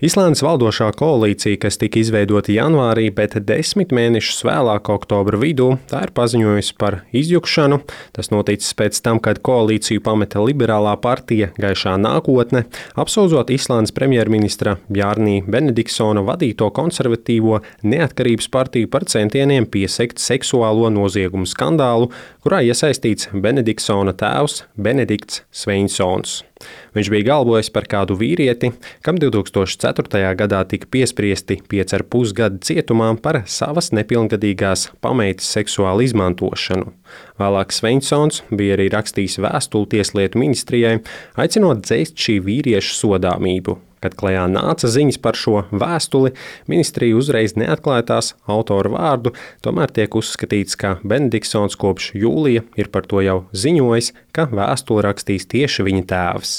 Islandes valdošā koalīcija, kas tika izveidota janvārī, bet 10 mēnešus vēlāk, oktobra vidū, tā ir paziņojusi par izjukšanu. Tas noticis pēc tam, kad koalīciju pameta liberālā partija Gaišā nākotne, apsūdzot Islandes premjerministra Bjarnī Benediksona vadīto konservatīvo Neatkarības partiju par centieniem piesegt seksuālo noziegumu skandālu, kurā iesaistīts Benediksona tēvs Benedikts Sveinsons. Viņš bija galvojis par kādu vīrieti, kam 2004. gadā tika piespriesti 5,5 gadi cietumā par savas nepilngadīgās pameitas seksuālu izmantošanu. Vēlāk Sveinsons bija arī rakstījis vēstuli Tieslietu ministrijai, aicinot dzēst šī vīrieša sodāmību. Kad klajā nāca ziņas par šo vēstuli, ministrija uzreiz neatklāja tās autora vārdu, tomēr tiek uzskatīts, ka Benediksons kopš jūlija ir par to jau ziņojis, ka vēstuli rakstīs tieši viņa tēvs.